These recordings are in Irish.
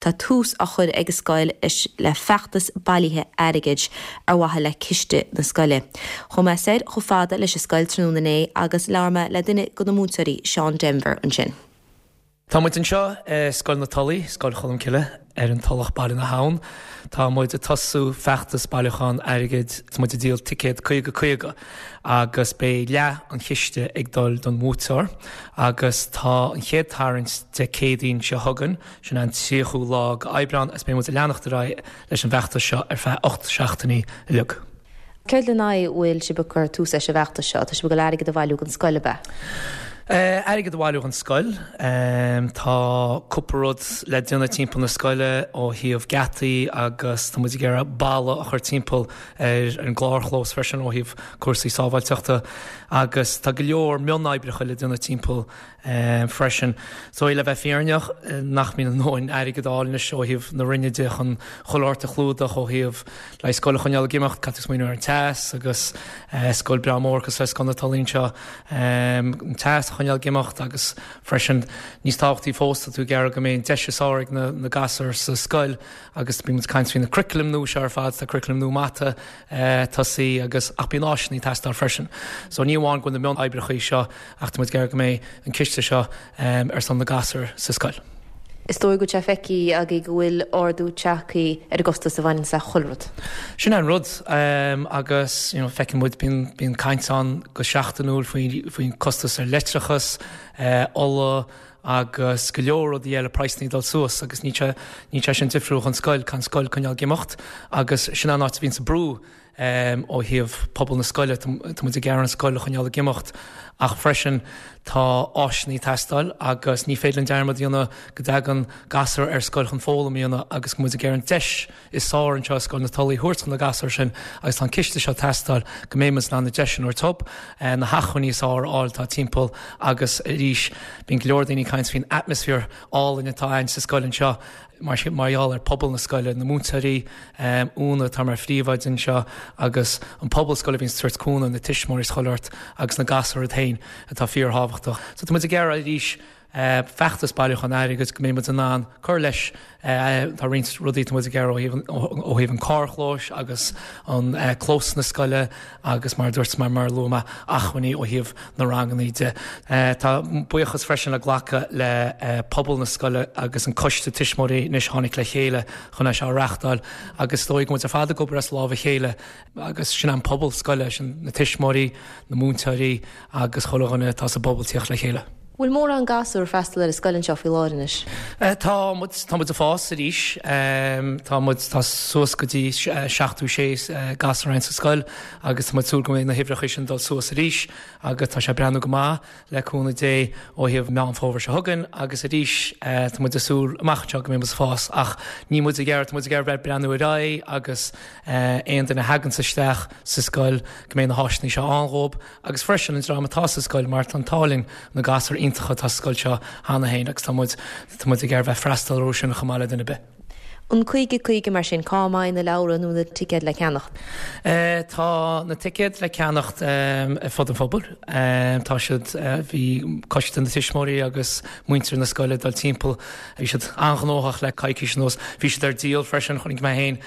Tá tús á chur ag an scoil leis le feachtas bailithe airgid ar mhaithe le ciste na scoile. Chuaigh mé soir chomh fada leis an scoil tráthnóna inné agus labhair mé le duine de na múinteoirí, Seán Denvir, ansin. Tá muid anseo i Scoil na Tulaí, Scoil Cholmcille, ar an Tulach, Baile na hAbhann. Tá muid ag tosú feachtas bailiúchán airgid, tá muid ag díol ticéad 50 50 agus beidh leath an chiste ag dul don bhuaiteoir agus tá an chéad tarraingt Dé Céadaoin seo chugainn, Sin an 30ú lá de Aibreán agus beidh muid ag leanacht ar aghaidh leis an bhfeachtas seo ar feadh 8 seachtainí uilig. Céard lena aghaidh a bhfuil sibh ag cur tús leis an bhfeachtas seo? Tá sibh ag dul airgead a bhailiú don scoil, ab ea? Airgead a bhailiú don scoil. Tá cúpla rud le déanamh timpeall na scoile ó thaobh geataí agus tá muid ag iarraidh balla a chur timpeall ar an gcarrchlós freisin ó thaobh cúrsaí sábháilteachta agus tá go leor mionoibreacha le déanamh timpeall freisin. So le bheith fírinneach, nach mbíonn a ndóthain airgead á fháil anois ó thaobh na Roinne de chun chuile shórt a chlúdach ó thaobh le scoil a choinneáil ag imeacht, caithfidh tú smaoineamh ar an teas agus scoil breá mór cosúil le Scoil na Tulaí anseo, an teas a choinneáil ag imeacht agus freisin níos tábhachtaí fós tá tú ag iarraidh go mbeidh an deis is fearr ag na gasúir sa scoil agus bíonn muid ag caint faoi na curriculum nua seo ar fad, tá curriculum nua mata tosaithe agus ach bíonn áiseanna ag teastáil freisin. So ní amháin go bhfuil na mionoibreacha seo Ach tá muid ag iarraidh go mbeidh an ciste seo ar son na gasúr sa scoil. Is dóigh go bhfuil sé feicthe agaibh go bhfuil ardú tagtha ar an gcostas a bhaineanns le chuile rud. Sin é an rud agus you know feiceann muid, bíonn, bíonn caint ann go seachtainiúil faoi, faoin costas ar leictreachas, ola agus go leor rudaí eile, praghsanna ag dul suas agus níl sé, níl sé sin difriúil chun scoil, caithfidh an scoil coinneáil ag imeacht agus sin an áit a bhíonns an brú. Ó thaobh pobal na scoile, tá muid ag iarraidh an scoil a choinneáil ag imeacht ach freisin tá áiseanna ag teastáil agus ní féidir linn dearmad a dhéanamh go dtagann gasúir ar scoil chun foghlaim a dhéanamh agus go muid ag iarraidh an deis is fearr anseo i Scoil na Tulaí a thabhairt do na gasúir sin agus tá an ciste seo ag teastáil go mbeidh muid in ann na deiseanna a thabhairt dóibh, na hacmhainní is fearr a fháil atá timpeall agus arís bíonn go leor daoine ag caint faoin atmaisféar álainn atá ann sa scoil anseo. Mar gheall ar pobal na scoile, na múinteoirí, Úna atá mar phríomhoide anseo agus an pobal scoile a bhíonn ag tabhairt cúnamh, na tuismitheoirí is chuile shórt agus na gasúir iad féin atá fíorthábhachtach. So tá muid ag iarraidh arís feachtas bailiúchán airgid go mbeidh muid in ann cur leis. Tá roinnt rudaí atá muid ag iarraidh ó thaobh an carrchlóis agus an clós na scoile agus mar a dúirt mé, mar a luaigh mé, acmhainní ó thaobh na ranganna de. Tá buíochas freisin le glacadh le pobal na scoile agus an coiste tuismitheoirí anois a tháinig le chéile chun é seo a reachtáil agus is dóigh go bhfuil muid ar fad ag obair as lámh a chéile agus sin an pobal scoile, sin na tuismitheoirí, na múinteoirí agus chuile dhuine atá sa bpobal tíocht le chéile. Bhfuil mórán gasúr ag freastal ar an scoil anseo faoi láthair anois? Tá muid, tá muid ag fás arís. Tá muid, tá suas go dtí 76 gasúr ann sa scoil agus tá muid ag súil go mbeidh na huimhreacha sin dul suas arís agus tá sé ag breathnú go maith le cúnamh Dé ó thaobh Meán Fómhair seo chugainn agus arís tá muid ag súil amach anseo go mbeidh muid ag fás ach níl muid ag iarraidh, tá muid ag iarraidh bheith ag breathnú ar aghaidh agus aon duine a thaganns isteach sa scoil go mbeidh na háiseanna seo ann dhóibh. agus freisin an dream atá sa scoil mar tá an t-ádh linn na gasúir iontacha atá sa scoil seo cheana féin agus tá muid tá muid ag iarraidh bheith freastal orthu sin chomh maith le duine ar bith. An 50 50 mar sin, cá mbeidh na leabhra nó na ticéid le ceannacht? Tá na ticéid le ceannacht ar fud an phobail. Tá siad, bhí coiste na tuismitheoirí agus muintir na scoile ag dul timpeall, bhí siad an-ghnóthach le coicís anuas. Bhí siad ar díol freisin, chonaic mé féin,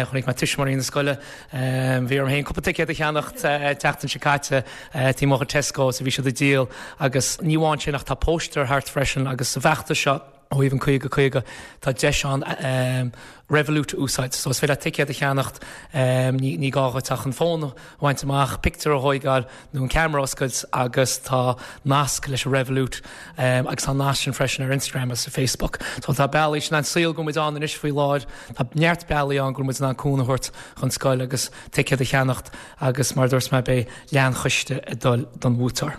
chonaic mé tuismitheoirí na scoile, Bhí orm féin cúpla ticéad a cheannacht an tseachtain seo caite taobh amuigh de Tesco so bhí siad ag díol agus ní amháin sin ach tá póstaer thart freisin agus sa bhfeachtas seo ó thaobh an 50 50 tá deis ann Revolut a úsáid. So is féidir leat ticéad a cheannacht, ní gá dhuit ach an fón a bhaint amach, pictiúr a thóigeáil nó an ceamara a oscailt agus tá nasc leis an Revolut agus tá an nasc sin freisin ar Instagram agus ar Facebook. So tá bealaí, sin an saol go bhfuil muid ann anois faoi láthair, tá neart bealaí ann go bhfuil muid in ann cúnamh a thabhairt chun scoil agus ticéad a cheannacht agus mar a dúirt mé beidh leath an chiste ag dul don bhuaiteoir.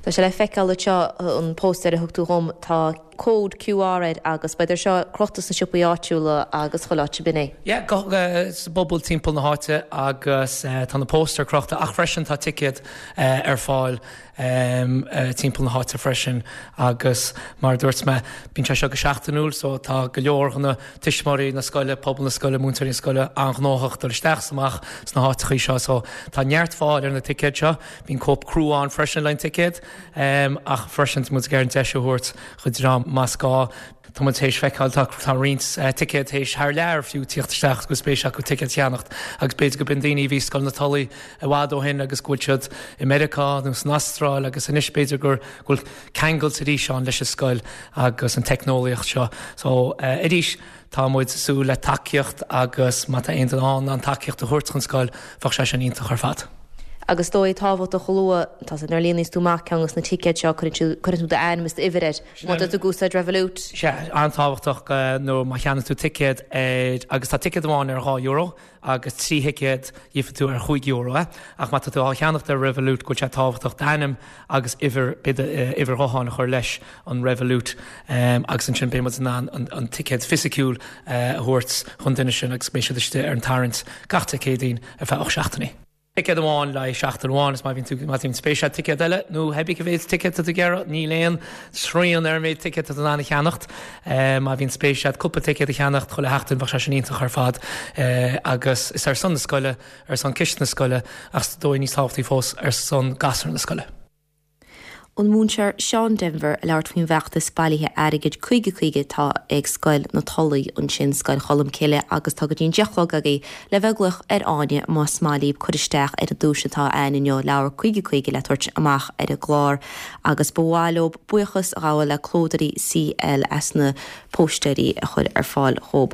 Tá sé le feiceáil anseo, an póstaer a thug tú dhom, tá cód QR air agus beidh sé seo crochta sna siopaí áitiúla agus chuile áit, ab in é? Yeah, sa bpobal timpeall na háite agus tá na póstaeir crochta ach freisin tá ticéad ar fáil timpeall na háite freisin agus mar a dúirt mé bíonn sé seo go seachtainiúil so tá go leor de na tuismitheoirí na scoile, pobal na scoile, múinteoirí na scoile an-ghnóthach dul isteach is amach sna háiteachaí seo so tá neart fáil ar na ticéid seo. Bíonn cóip crua ann freisin le an ticéad. Ach freisin tá muid ag iarraidh an deis a thabhairt do dhream más gá. Tá muid théis feiceáil, tá tá roinnt ticéad théis thar lear fiú tíocht isteach go bhfuil spéis acu ticéad a cheannacht agus b'fhéidir go b'in daoine a bhí i Scoil na Tulaí i bhfad ó shin agus go bhfuil siad i Meiriceá nó san Astráil agus anois b'fhéidir gur go bhfuil ceangailt arís ann leis an scoil agus an teicneolaíocht seo. So arís tá muid ag súil le tacaíocht agus má tá aon duine ann an tacaíocht a thabhairt chun scoil bheadh sé sin iontach ar fad. Agus is dóigh tábhachtach a lua, tá sé nuair a líonaíos tú amach ceann dos na ticéid seo cuireann tú d'ainm is d'uimhir air. Má tá tú ag úsáid Revolut. Sea, an-tábhachtach nó má cheannaíonn tú ticéad ar, agus tá ticéad amháin ar €2 agus 3 thicéad gheobhaidh tú ar €5 é, ach má tá tú á cheannacht ar Revolut go bhfuil sé tábhachtach d'ainm agus uimhir, b'fhéidir uimhir ghutháin a chur leis an Revolut agus ansin beidh muid in ann an ticéad fisiciúil a thabhairt chun duine sin agus beidh siad istigh ar an tarraingt gach Dé Céadaoin ar feadh 8 seachtainí. Ticéad amháin le haghaidh seachtain amháin is má bhíonn tú má bhíonn spéis agat ticéad eile nó cibé cá mhéad ticéad tá tú ag iarraidh, níl aon srian ar an méid ticéad atá tú in ann a cheannacht. Má bhíonn spéis agat cúpla ticéad a cheannacht chuile sheachtain bheadh sé sin iontach ar fad agus is ar son na scoile, ar son ciste na scoile ach is dóigh níos tábhachtaí fós ar son gasúir na scoile. An múinteoir Seán Denvir ag labhairt faoin bhfeachtas bailithe airgid 50 50 atá ag Scoil na Tulaí ansin, Scoil Cholmcille, agus tá go dtí an 10 a chlog agaibh le bheith ag glaoch ar Áine más maith libh cur isteach ar an duais atá a'ainn inniu, leabhar 50 50 le tabhairt amach ar an gclár agus ba mhaith leo buíochas a ghabháil le Clódóirí CL as na póistéirí a chur ar fáil dhób.